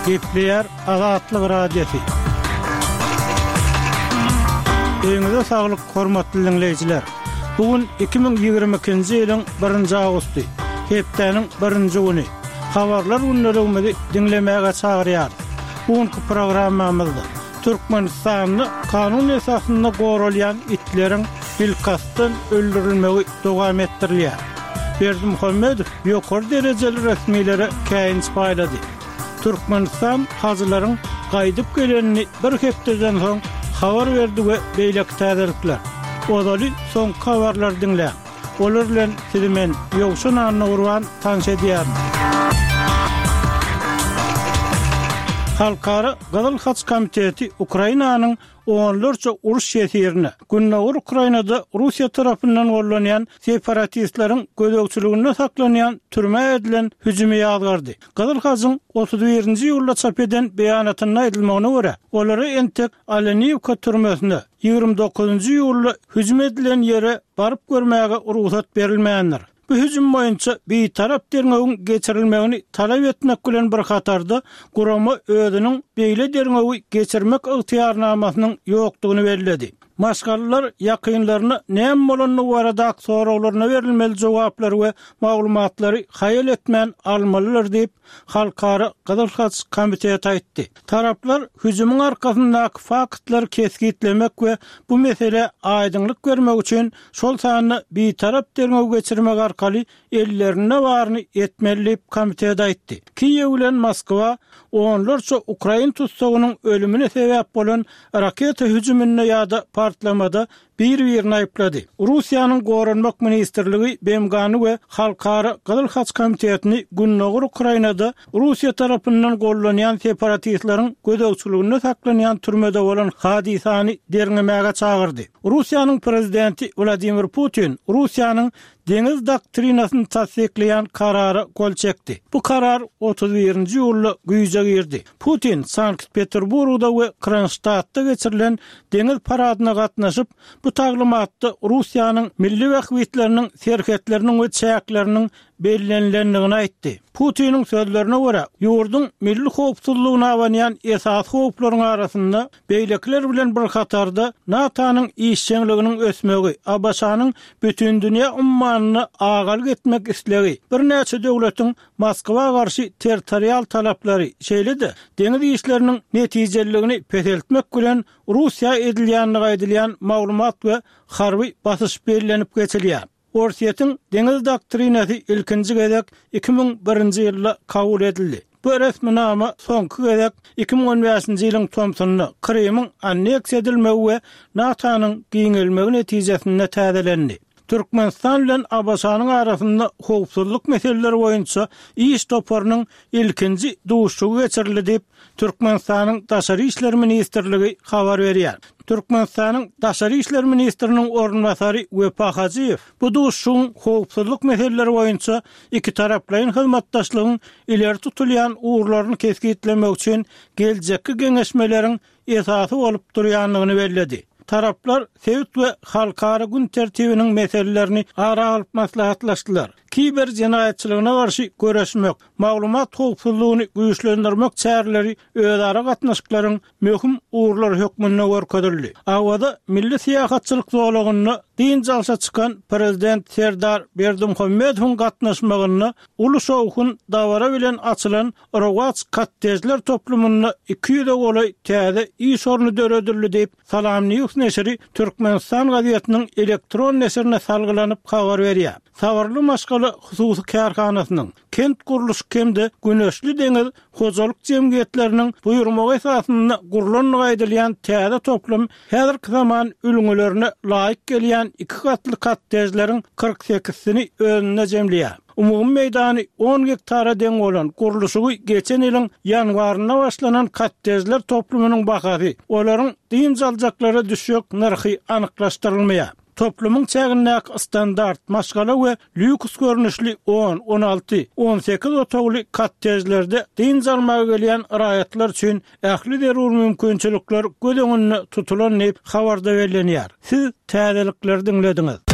Gepleýär Azatlyk Radiosy. Öýüňize saglyk, hormatly diňleýjiler! Bu gün 2022-nji ýylyň birinji awgusty, hepdäniň birinji güni. Habarlar gündeligimizi diňlemäge çagyrýarys. Bu günki programmamyzda Türkmenistanda kanun esasynda goralýan itleriň bilkastdan öldürilmegi dowam etdirilýär. Berdimuhamedow ýokary derejeli resmilere käýinç paýlady. Türkmenistan hajylaryň gaýdyp gelenini bir hepdeden soň habar berdi we beýleki täzelikler. Ozaly soňky habarlary diňläň. Olar bilen sizi men, Ýowşan Annagurban tanyş edýärin. Halkara Gyzyl Haç Komiteti Ukrainanyň onlarça uruş ýesirine, gündogar Ukrainada Russiýa tarapyndan gollanýan separatistleriň gözegçiliginde saklanýan türmä edilen hüjümi ýazgardy. Gyzyl Hajyň 31-nji iýulda çap eden beýanatynda aýdylmagyna görä, olara entek Oleniwka türmesine, 29-njy iýulda hüjüm edilen ýere baryp görmäge rugsat berilmändir. Bu hüjüm boýunça bitarap derňewiň geçirilmegini talap etmek bilen bir hatarda, gurama özüniň beýle derňewi geçirmek ygtyýarnamasynyň ýokdugyny belledi. Maşgalalar ýakynlaryna näme bolandygy baradaky soraglaryna berilmeli jogaplary we maglumatlary haýal etmän almalydyr diýip, Halkara Gyzyl Haç komiteti aýtdy. Taraplar hüjümiň arkasyndaky faktlary kesgitlemek we bu meselä aýdyňlyk bermek üçin şol sanda bitarap derňew geçirmek arkaly ellerinde baryny etmeli diýip, komitet aýtdy. Kiýew bilen Moskwa onlarça ukrain tussagynyň ölümine sebäp bolan raketa hüjüminde ýa-da partlamada bir-birini aýyplady. Russiýanyň Goranmak ministrligi BMG-ny we Halkara Gyzyl Haç Komitetini gündogar Ukrainada Russiýa tarapyndan gollanýan separatistleriň gözegçiliginde saklanýan türmede bolan hadysany derňemäge çagyrdy. Russiýanyň prezidenti Wladimir Putin Russiýanyň deňiz doktrinasyny tassyklaýan karara gol çekdi. Bu karar 31-nji iýulda güýje girdi. Putin Sankt-Peterburgda we Kronştadtda geçirilen deňiz paradyna gatnaşyp, bu taglymatda Russiýanyň milli bähbitleriniň serhetleriniň we çäkleriniň bellenilendigini aýtdy. Putiniň sözlerine görä, ýurduň milli howpsuzlygyna abanýan esasy howplaryň arasynda beýlekiler bilen bir hatarda NATO-nyň işjeňliginiň ösmegi, ABŞ-nyň bütindünýä ummanynda agalyk etmek islegi, birnäçe döwletiň Moskwa garşy territorial talaplary, şeýle-de deňiz işleriniň netijeliligini peseltmek bilen Russiýa edilýändigi aýdylýan maglumat we harby basyş bellenip geçilýär. Orsýetiň deňiz doktrinasy ilkinji gezek 2001-nji ýylda kabul edildi. Bu resminama soňky gezek 2015-nji ýylyň tomsunda Krymyň anneksiýa edilmegi we NATO-nyň giňelmegi netijesinde täzelendi. Türkmenistan bilen ABŞ-nyň arasynda howpsuzlyk meseleleri boýunça iş toparynyň ilkinji duşuşygy geçirildi diýip, Türkmenistanyň Daşary işler ministrligi habar berýär. Türkmenistanyň Daşary işler ministriniň orunbasary Wepa Hajyýew bu duşuşygyň howpsuzlyk meseleleri boýunça ikitaraplaýyn hyzmatdaşlygyň ileri tutulýan ugurlaryny kesgitlemek üçin geljekki geňeşmeleriň esasy bolup durýandygyny belledi. Taraplar sebit we halkara gün tertibiniň meselelerini ara alyp maslahatlaşdylar. Kiber jenaýatçylygyna garşy göreşmek, maglumat howpsuzlygyny güýçlendirmek çäreleri özara gatnaşyklaryň möhüm ugurlary hökmünde görkezildi. Awaza milli syýahatçylyk zolagynda dynç alşa çykan Prezident Serdar Berdimuhamedowyň gatnaşmagynda uly şowhun dabara bilen açylan Rowaç kottejler toplumynda 200-e golaý täze iş orny döredildi diýip, SalamNews neşiri Türkmenistan gazetiniň elektron neşirine salgylanyp habar berýär. Sabyrly maşgala hususy kärhanasynyň, Kent gurluşyk hem-de Güneşli deňiz hojalyk jemgyýetleriniň buýurmagy esasynda gurlandygy aýdylýan täze toplum häzirki zaman ülňülerine laýyk gelýän iki gatly kottejleriň 40 sekizsini özünde jemleýär. Umumy meýdany on gektara deň bolan, gurluşygy geçen ýylyň ýanwarynda başlanan kottejler toplumynyň bahasy, olaryň dynç aljaklara düşjek nyrhy anyklaşdyrylmaýar. Toplumyň çägindäki standart, maşgala we lýuks görnüşli on, 16, 18 otagly kottejlerde dynç almaga gelýän raýatlar üçin ähli zerur mümkinçilikler göz öňünde tutulan diýip, habarda bellenýär. Siz täzelikleri diňlediňiz.